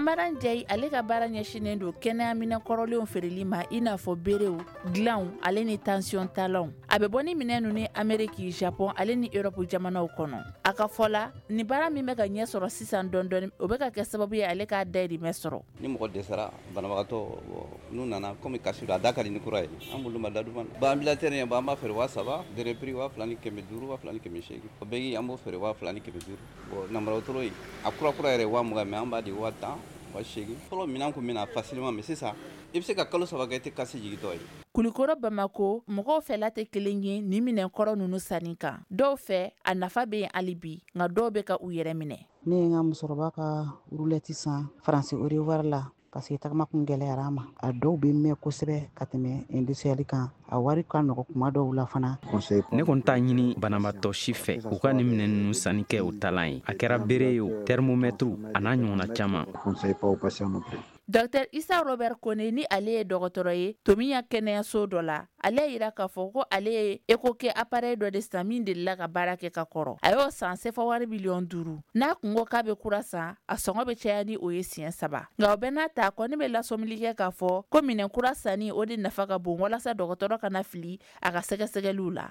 Amara Ndiaye, ale ka baara ɲɛsinnen don kɛnɛyaminɛ kɔrɔlenw feereli ma, i n'a fɔ berew, dilanw ale ni tension talanw. A bɛ bɔ ni minɛn ninnu Amérique, Japon ale ni Europe jamanaw kɔnɔ. A ka fɔ la, ni baara min bɛ ka ɲɛ sɔrɔ sisan dɔɔni dɔɔni, o bɛ ka kɛ sababu ye ale k'a dayirimɛ sɔrɔ. Ni mɔgɔ dɛsɛra, banabagatɔ n'u nana, komi kasi a da ka di ni kura ye, an bolo ma da duman. Bon, ambulateur an b'a feere 3000, dernier prix 2500, 2800. O bɛɛ an b'o feere 2500. Bon, namara wotoro a kura kura yɛrɛ 20,000, mais an b'a di 10,000, 80,000. Fɔlɔ minɛn kun bɛna facilement, mais sisan i bɛ se ka kalo 3 kɛ i tɛ kasi jigintɔ ye. Kulukɔrɔ, Bamako mɔgɔw fɛla tɛ kelen ye nin minɛnkɔrɔ ninnu sanni kan. Dɔw fɛ, a nafa bɛ yen hali bi, nka dɔw bɛ ka u yɛrɛ minɛ. Ne ye n ka musokɔrɔba ka roulette san Faransi au revoir la, parce que tagama kun gɛlɛyara a ma. A dɔw bɛ mɛn kosɛbɛ ka tɛmɛ industriel kan. A wari ka nɔgɔ kuma dɔw la fana. Ne kɔni t'a ɲini banabaatɔ si fɛ u ka nin minɛn ninnu sanni kɛ u talan ye, a kɛra bere ye o, thermomètre a n'a ɲɔgɔnna caman. Dr Isa Robert Kone, ni ale ye dɔgɔtɔrɔ ye Tomiya kɛnɛyaso dɔ la, ale y'a yira k'a fɔ ko ale ye écho kɛ appareil dɔ de san min delila ka baara kɛ ka kɔrɔ. A y'o san sefa wari miliyɔn 5. N'a kun ko k'a bɛ kura san, a sɔngɔ bɛ caya ni o ye siɲɛ 3. Nka o bɛɛ n'a ta, a kɔni bɛ lasɔmili kɛ k'a fɔ ko minɛn kura sanni, o de nafa ka bon walasa dɔgɔtɔrɔ kana fili a ka sɛgɛsɛgɛliw la.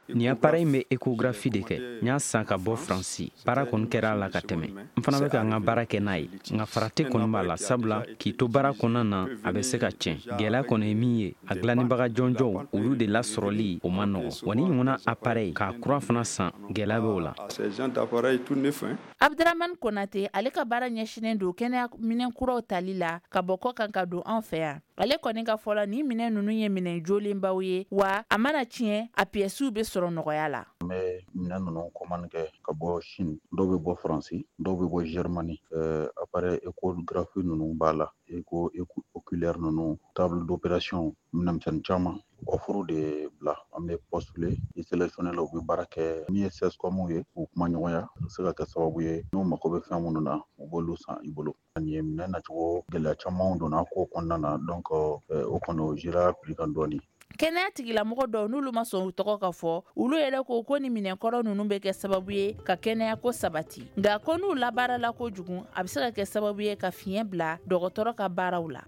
Nin appareil in bɛ échographie de kɛ. N y'a san ka bɔ Faransi. Baara kɔni kɛra a la ka tɛmɛ. N fana bɛ ka n ka baara kɛ n'a ye, nka farati kɔni b'a la, sabula k'i to baara kɔnɔna na, a bɛ se ka tiɲɛ. Gɛlɛya kɔni ye min ye, a dilannibaga jɔnjɔnw, olu de lasɔrɔli, o ma nɔgɔn wa. Ni ɲɔgɔnna appareil k'a kura fana san, gɛlɛya b'o la. Abdramane Konate, ale ka baara ɲɛsinnen don kɛnɛya minɛn kuraw tali la ka bɔ kɔ kan ka don an fɛ yan. Ale kɔni ka fɔ la, nin minɛn ninnu ye minɛn jolenbaw ye wa, a mana tiɲɛ, a piyɛsiw bɛ sɔrɔ nɔgɔya la. An bɛ minɛn ninnu commande kɛ ka bɔ Chine, dɔw bɛ bɔ Faransi, dɔw bɛ bɔ Germany. Appareil échographie ninnu b'a la, écho oculaire ninnu, table d'opération, minɛnmisɛnnin caman. Offre de bila, an bɛ postuler, i sélectionné la, u bɛ baara kɛ min ye CSCOM ye, u kuma ɲɔgɔnya, a bɛ se ka kɛ sababu ye n'u mago bɛ fɛn minnu na, u b'olu san i bolo. Nin ye minɛn nacogo gɛlɛya camanw donna ko kɔnɔna na, donc o kɔni o gérera prix kan dɔɔni. Kɛnɛya tigilamɔgɔ dɔw, n'olu ma sɔn u tɔgɔ ka fɔ, olu yɛrɛ ko ko ni minɛnkɔrɔ ninnu bɛ kɛ sababu ye ka kɛnɛya ko sabati, nka ko n'u labaarala kojugu, a bɛ se ka kɛ sababu ye ka fiɲɛ bila dɔgɔtɔrɔ ka baaraw la.